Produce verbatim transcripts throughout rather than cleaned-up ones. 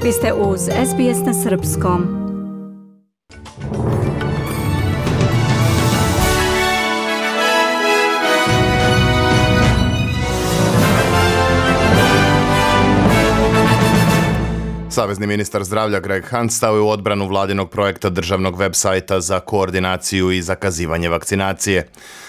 Vi ste uz S B S na srpskom. Savezni ministar zdravlja Greg Hunt stao je u odbranu vladinog projekta državnog web sajta za koordinaciju i zakazivanje vakcinacije.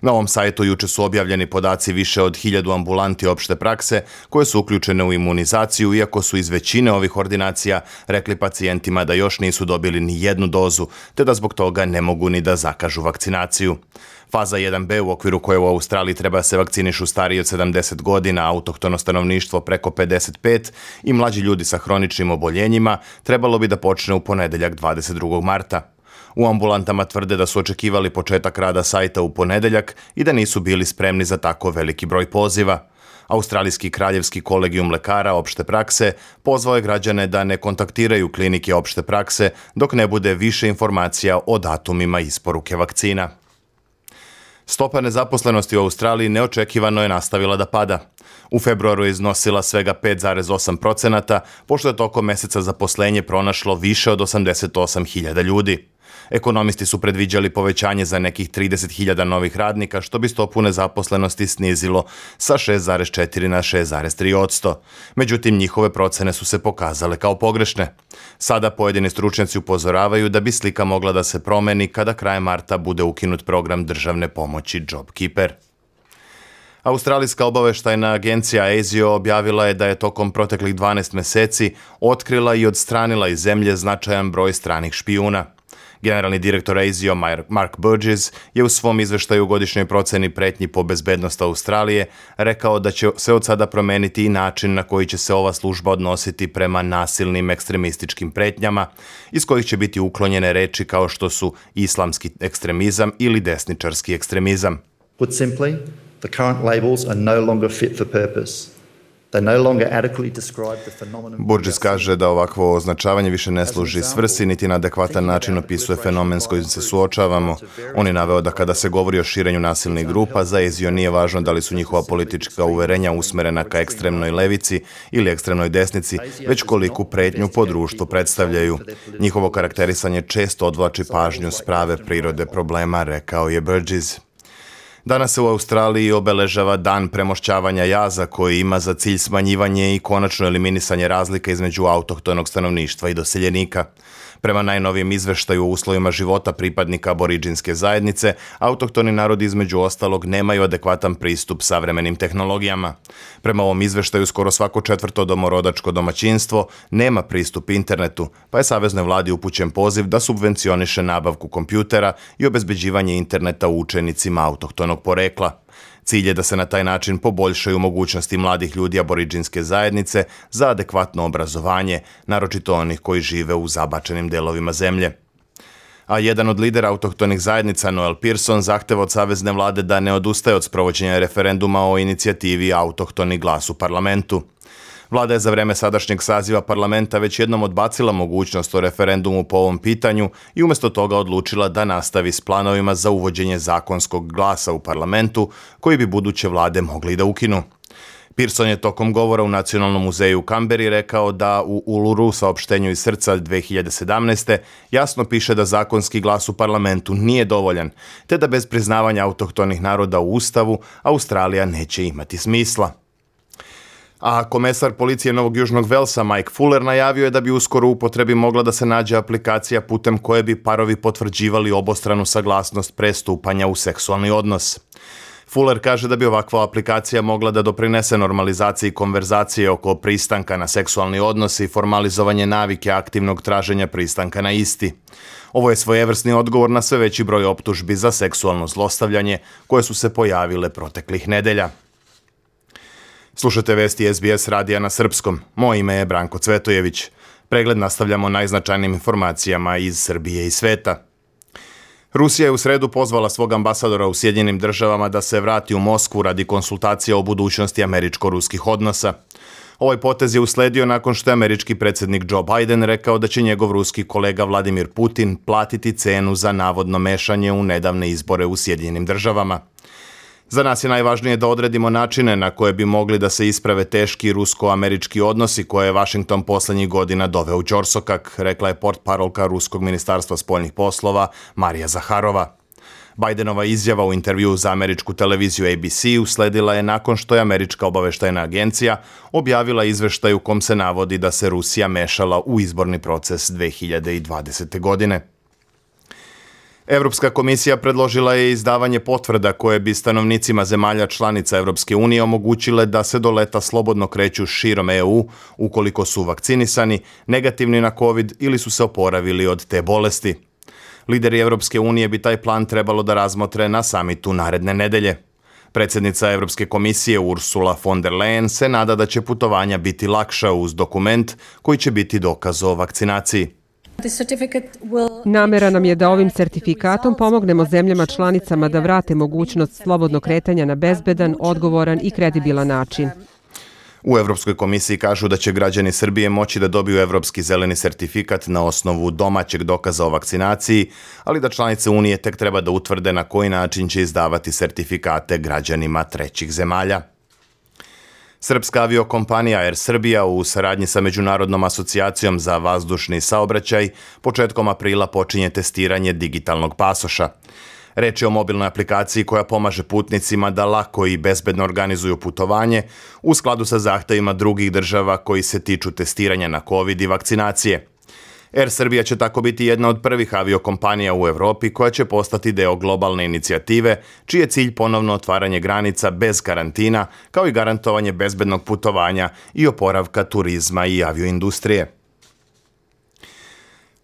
Na ovom sajtu juče su objavljeni podaci više od hiljadu ambulanti opšte prakse koje su uključene u imunizaciju, iako su iz većine ovih ordinacija rekli pacijentima da još nisu dobili ni jednu dozu, te da zbog toga ne mogu ni da zakažu vakcinaciju. Faza jedan be, u okviru koje u Australiji treba se vakcinišu stariji od sedamdeset godina, autohtono stanovništvo preko pedeset pet i mlađi ljudi sa hroničnim oboljenjima, trebalo bi da počne u ponedeljak dvadeset drugog marta. U ambulantama tvrde da su očekivali početak rada sajta u ponedeljak i da nisu bili spremni za tako veliki broj poziva. Australijski kraljevski kolegijum lekara opšte prakse pozvao je građane da ne kontaktiraju klinike opšte prakse dok ne bude više informacija o datumima isporuke vakcina. Stopa nezaposlenosti u Australiji neočekivano je nastavila da pada. U februaru je iznosila svega pet zarez osam procenata, pošto je tokom meseca zaposlenje pronašlo više od osamdeset osam hiljada ljudi. Ekonomisti su predviđali povećanje za nekih trideset hiljada novih radnika, što bi stopu nezaposlenosti snizilo sa šest zarez četiri na šest zarez tri posto. Međutim, njihove procene su se pokazale kao pogrešne. Sada pojedini stručnjaci upozoravaju da bi slika mogla da se promeni kada krajem marta bude ukinut program državne pomoći JobKeeper. Australijska obaveštajna agencija A S I O objavila je da je tokom proteklih dvanaest meseci otkrila i odstranila iz zemlje značajan broj stranih špijuna. Generalni direktor A S I O Mark Burgess je u svom izveštaju u godišnjoj proceni pretnji po bezbednost Australije rekao da će se od sada promeniti i način na koji će se ova služba odnositi prema nasilnim ekstremističkim pretnjama, iz kojih će biti uklonjene reči kao što su islamski ekstremizam ili desničarski ekstremizam. Put simply, the current labels are no longer fit for purpose. Burgess kaže da ovakvo označavanje više ne služi svrsi niti na adekvatan način opisuje fenomen s kojim se suočavamo. On je naveo da kada se govori o širenju nasilnih grupa, za A S I O nije važno da li su njihova politička uverenja usmerena ka ekstremnoj levici ili ekstremnoj desnici, već koliku pretnju po društvu predstavljaju. Njihovo karakterisanje često odvlači pažnju s prave prirode problema, rekao je Burgess. Danas se u Australiji obeležava dan premošćavanja jaza koji ima za cilj smanjivanje i konačno eliminisanje razlika između autohtonog stanovništva i doseljenika. Prema najnovijem izveštaju o uslovima života pripadnika aboridžinske zajednice, autohtoni narodi između ostalog nemaju adekvatan pristup savremenim tehnologijama. Prema ovom izveštaju skoro svako četvrto domorodačko domaćinstvo nema pristup internetu, pa je saveznoj vladi upućen poziv da subvencioniše nabavku kompjutera i obezbeđivanje interneta učenicima autohtonog porekla. Cilj je da se na taj način poboljšaju mogućnosti mladih ljudi aboridžinske zajednice za adekvatno obrazovanje, naročito onih koji žive u zabačenim delovima zemlje. A jedan od lidera autohtonih zajednica, Noel Pearson, zahteva od savezne vlade da ne odustaje od sprovođenja referenduma o inicijativi Autohtoni glas u parlamentu. Vlada je za vreme sadašnjeg saziva parlamenta već jednom odbacila mogućnost o referendumu po ovom pitanju i umjesto toga odlučila da nastavi s planovima za uvođenje zakonskog glasa u parlamentu, koji bi buduće vlade mogli da ukinu. Pearson je tokom govora u Nacionalnom muzeju u Kamberi rekao da u Uluru saopštenju iz srca dve hiljade sedamnaeste. jasno piše da zakonski glas u parlamentu nije dovoljan, te da bez priznavanja autohtonih naroda u Ustavu Australija neće imati smisla. A komesar policije Novog Južnog Velsa Mike Fuller najavio je da bi uskoro u upotrebi mogla da se nađe aplikacija putem koje bi parovi potvrđivali obostranu saglasnost pre stupanja u seksualni odnos. Fuller kaže da bi ovakva aplikacija mogla da doprinese normalizaciji konverzacije oko pristanka na seksualni odnos i formalizovanje navike aktivnog traženja pristanka na isti. Ovo je svojevrsni odgovor na sve veći broj optužbi za seksualno zlostavljanje koje su se pojavile proteklih nedelja. Slušate vesti S B S radija na srpskom. Moje ime je Branko Cvetojević. Pregled nastavljamo najznačajnijim informacijama iz Srbije i sveta. Rusija je u sredu pozvala svog ambasadora u Sjedinjenim državama da se vrati u Moskvu radi konsultacija o budućnosti američko-ruskih odnosa. Ovaj potez je usledio nakon što je američki predsjednik Joe Biden rekao da će njegov ruski kolega Vladimir Putin platiti cenu za navodno mešanje u nedavne izbore u Sjedinjenim državama. Za nas je najvažnije da odredimo načine na koje bi mogli da se isprave teški rusko-američki odnosi koje je Vašington poslednjih godina doveo u ćorsokak, rekla je portparolka Ruskog ministarstva spoljnih poslova Marija Zaharova. Bajdenova izjava u intervjuu za američku televiziju A B C usledila je nakon što je Američka obaveštajna agencija objavila izveštaj u kom se navodi da se Rusija mešala u izborni proces dve hiljade dvadesete. godine. Evropska komisija predložila je izdavanje potvrda koje bi stanovnicima zemalja članica Evropske unije omogućile da se do leta slobodno kreću širom E U ukoliko su vakcinisani, negativni na COVID ili su se oporavili od te bolesti. Lideri Evropske unije bi taj plan trebalo da razmotre na samitu naredne nedelje. Predsjednica Evropske komisije Ursula von der Leyen se nada da će putovanja biti lakša uz dokument koji će biti dokaz o vakcinaciji. Namera nam je da ovim sertifikatom pomognemo zemljama članicama da vrate mogućnost slobodnog kretanja na bezbedan, odgovoran i kredibilan način. U Evropskoj komisiji kažu da će građani Srbije moći da dobiju evropski zeleni sertifikat na osnovu domaćeg dokaza o vakcinaciji, ali da članice Unije tek treba da utvrde na koji način će izdavati sertifikate građanima trećih zemalja. Srpska aviokompanija Air Srbija u saradnji sa Međunarodnom asocijacijom za vazdušni saobraćaj početkom aprila počinje testiranje digitalnog pasoša. Reč je o mobilnoj aplikaciji koja pomaže putnicima da lako i bezbedno organizuju putovanje u skladu sa zahtevima drugih država koji se tiču testiranja na COVID i vakcinacije. Air Srbija će tako biti jedna od prvih aviokompanija u Evropi koja će postati deo globalne inicijative, čiji je cilj ponovno otvaranje granica bez karantina, kao i garantovanje bezbednog putovanja i oporavka turizma i avioindustrije.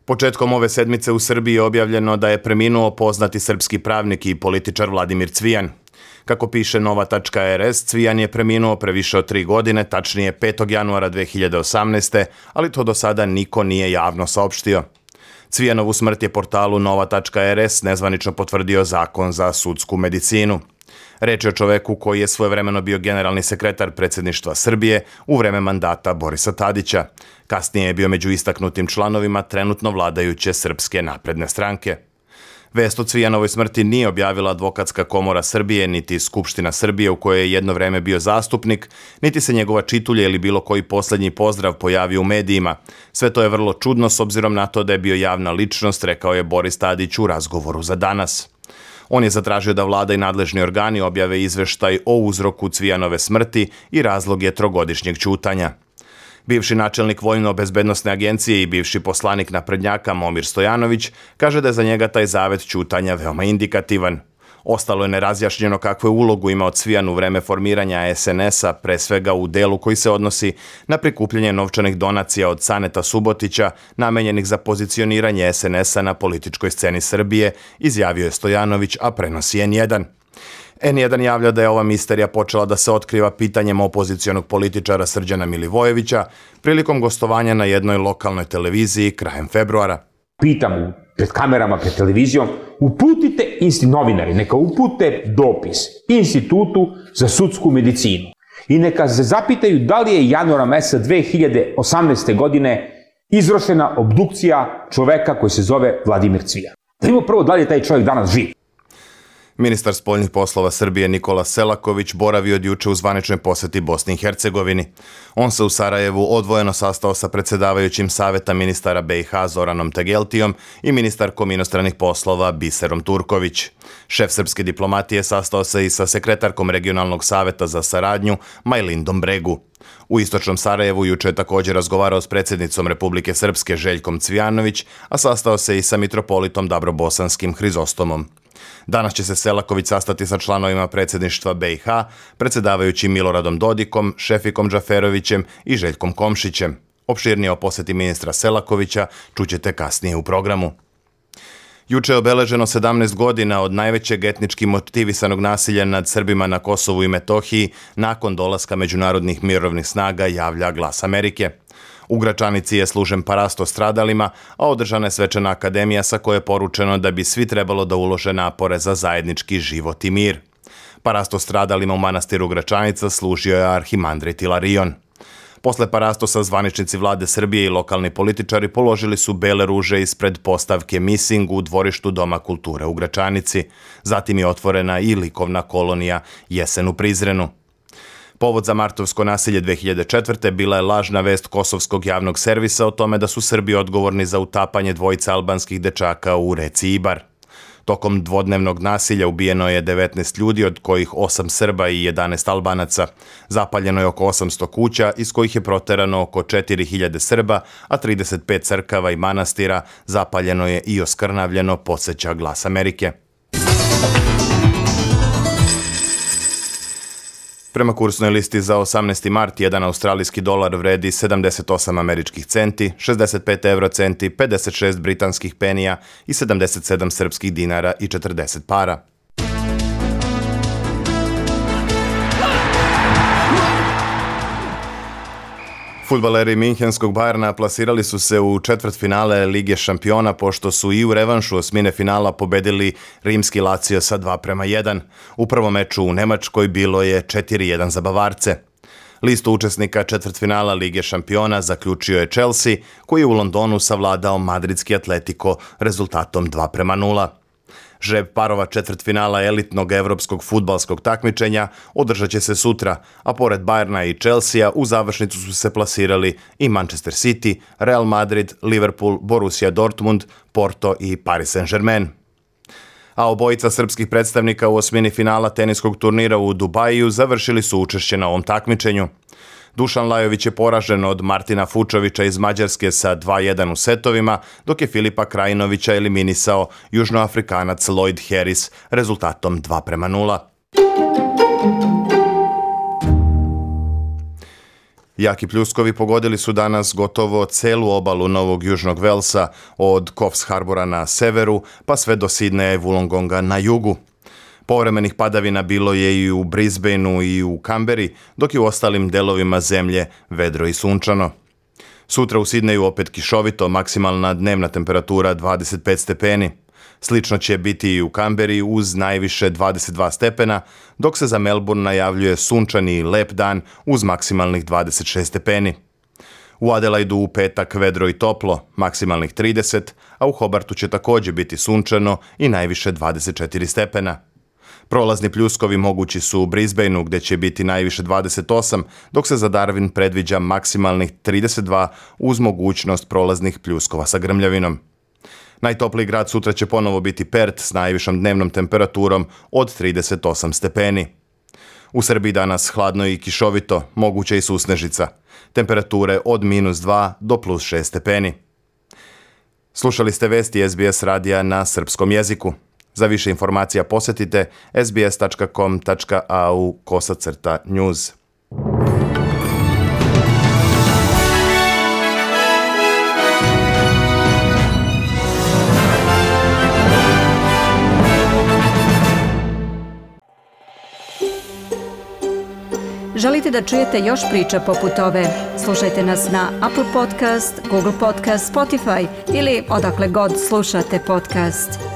Početkom ove sedmice u Srbiji je objavljeno da je preminuo poznati srpski pravnik i političar Vladimir Cvijan. Kako piše nova tačka er es, Cvijan je preminuo pre više od tri godine, tačnije petog januara dve hiljade osamnaeste. ali to do sada niko nije javno saopštio. Cvijanovu smrt je portalu nova tačka er es nezvanično potvrdio Zakon za sudsku medicinu. Reč je o čoveku koji je svojevremeno bio generalni sekretar predsjedništva Srbije u vreme mandata Borisa Tadića. Kasnije je bio među istaknutim članovima trenutno vladajuće Srpske napredne stranke. Vest o Cvijanovoj smrti nije objavila Advokatska komora Srbije, niti Skupština Srbije u kojoj je jedno vreme bio zastupnik, niti se njegova čitulja ili bilo koji poslednji pozdrav pojavio u medijima. Sve to je vrlo čudno s obzirom na to da je bio javna ličnost, rekao je Boris Tadić u razgovoru za Danas. On je zatražio da vlada i nadležni organi objave izveštaj o uzroku Cvijanove smrti i razloge trogodišnjeg ćutanja. Bivši načelnik Vojno-bezbednosne agencije i bivši poslanik naprednjaka Momir Stojanović kaže da je za njega taj zavet ćutanja veoma indikativan. Ostalo je nerazjašnjeno kakvu je ulogu imao Cvijan u vreme formiranja es en es a, pre svega u delu koji se odnosi na prikupljanje novčanih donacija od Caneta Subotića, namenjenih za pozicioniranje es en es a na političkoj sceni Srbije, izjavio je Stojanović, a prenosi en jedan. en jedan javlja da je ova misterija počela da se otkriva pitanjem opozicionog političara Srđana Milivojevića prilikom gostovanja na jednoj lokalnoj televiziji krajem februara. Pitam pred kamerama, pred televizijom, uputite insti novinari, neka upute dopis Institutu za sudsku medicinu i neka se zapitaju da li je januara meseca dve hiljade osamnaeste. godine izvršena obdukcija čoveka koji se zove Vladimir Cvijan. Da vidimo prvo da li je taj čovjek danas živ. Ministar spoljnih poslova Srbije Nikola Selaković boravio od juče u zvaničnoj poseti Bosni i Hercegovini. On se u Sarajevu odvojeno sastao sa predsjedavajućim saveta ministara be i ha Zoranom Tegeltijom i ministarkom inostranih poslova Biserom Turković. Šef srpske diplomatije sastao se i sa sekretarkom regionalnog saveta za saradnju Majlindom Bregu. U istočnom Sarajevu juče je također razgovarao s predsjednicom Republike Srpske Željkom Cvijanović, a sastao se i sa mitropolitom Dabrobosanskim Hrizostomom. Danas će se Selaković sastati sa članovima predsjedništva be i ha, predsjedavajućim Miloradom Dodikom, Šefikom Džaferovićem i Željkom Komšićem. Opširnije o poseti ministra Selakovića čućete kasnije u programu. Juče je obeleženo sedamnaest godina od najvećeg etnički motivisanog nasilja nad Srbima na Kosovu i Metohiji nakon dolaska međunarodnih mirovnih snaga, javlja Glas Amerike. U Gračanici je služen parasto stradalima, a održana je svečana akademija sa koje je poručeno da bi svi trebalo da ulože napore za zajednički život i mir. Parasto stradalima u manastiru Gračanica služio je arhimandrit Ilarion. Posle parastosa zvaničnici vlade Srbije i lokalni političari položili su bele ruže ispred postavke Missing u dvorištu Doma kulture u Gračanici. Zatim je otvorena i likovna kolonija Jesen u Prizrenu. Povod za martovsko nasilje dve hiljade četvrte bila je lažna vest kosovskog javnog servisa o tome da su Srbi odgovorni za utapanje dvojice albanskih dečaka u reci Ibar. Tokom dvodnevnog nasilja ubijeno je devetnaest ljudi, od kojih osam Srba i jedanaest Albanaca. Zapaljeno je oko osamsto kuća, iz kojih je proterano oko četiri hiljade Srba, a trideset pet crkava i manastira zapaljeno je i oskrnavljeno, podseća Glas Amerike. Prema kursnoj listi za osamnaesti mart, jedan australijski dolar vredi sedamdeset osam američkih centi, šezdeset pet evro centi, pedeset šest britanskih penija i sedamdeset sedam srpskih dinara i četrdeset para. Fudbaleri Minhenskog Bajerna plasirali su se u četvrtfinale Lige šampiona pošto su i u revanšu osmine finala pobedili rimski Lazio sa dva prema jedan. U prvom meču u Nemačkoj bilo je četiri jedan za Bavarce. Listu učesnika četvrtfinala Lige šampiona zaključio je Chelsea, koji je u Londonu savladao madridski Atletico rezultatom dva prema nula. Žreb parova četvrtfinala elitnog evropskog fudbalskog takmičenja održat će se sutra, a pored Bajerna i Chelsea u završnicu su se plasirali i Manchester City, Real Madrid, Liverpool, Borussia Dortmund, Porto i Paris Saint-Germain. A obojica srpskih predstavnika u osmini finala teniskog turnira u Dubaju završili su učešće na ovom takmičenju. Dušan Lajović je poražen od Martina Fučovića iz Mađarske sa dva jedan u setovima, dok je Filipa Krajinovića eliminisao Južnoafrikanac Lloyd Harris rezultatom dva prema nula. Jaki pljuskovi pogodili su danas gotovo celu obalu Novog Južnog Velsa, od Coffs Harbora na severu pa sve do Sidneja i Wollongonga na jugu. Povremenih padavina bilo je i u Brisbaneu i u Kamberi, dok je u ostalim delovima zemlje vedro i sunčano. Sutra u Sidneju opet kišovito, maksimalna dnevna temperatura dvadeset pet stepeni. Slično će biti i u Kamberi uz najviše dvadeset dva stepena, dok se za Melbourne najavljuje sunčani i lep dan uz maksimalnih dvadeset šest stepeni. U Adelaidu u petak vedro i toplo, maksimalnih trideset, a u Hobartu će također biti sunčano i najviše dvadeset četiri stepena. Prolazni pljuskovi mogući su u Brisbaneu gdje će biti najviše dvadeset osam, dok se za Darwin predviđa maksimalnih trideset dva uz mogućnost prolaznih pljuskova sa grmljavinom. Najtopliji grad sutra će ponovo biti Perth s najvišom dnevnom temperaturom od trideset osam stepeni. U Srbiji danas hladno i kišovito, moguće i susnežica. Temperature od minus dva do plus šest stepeni. Slušali ste vesti S B S radija na srpskom jeziku. Za više informacija posjetite sbs tačka com tačka a u kosacrta news. Želite da čujete još priča poput ove? Slušajte nas na Apple Podcast, Google Podcast, Spotify ili odakle god slušate podcast.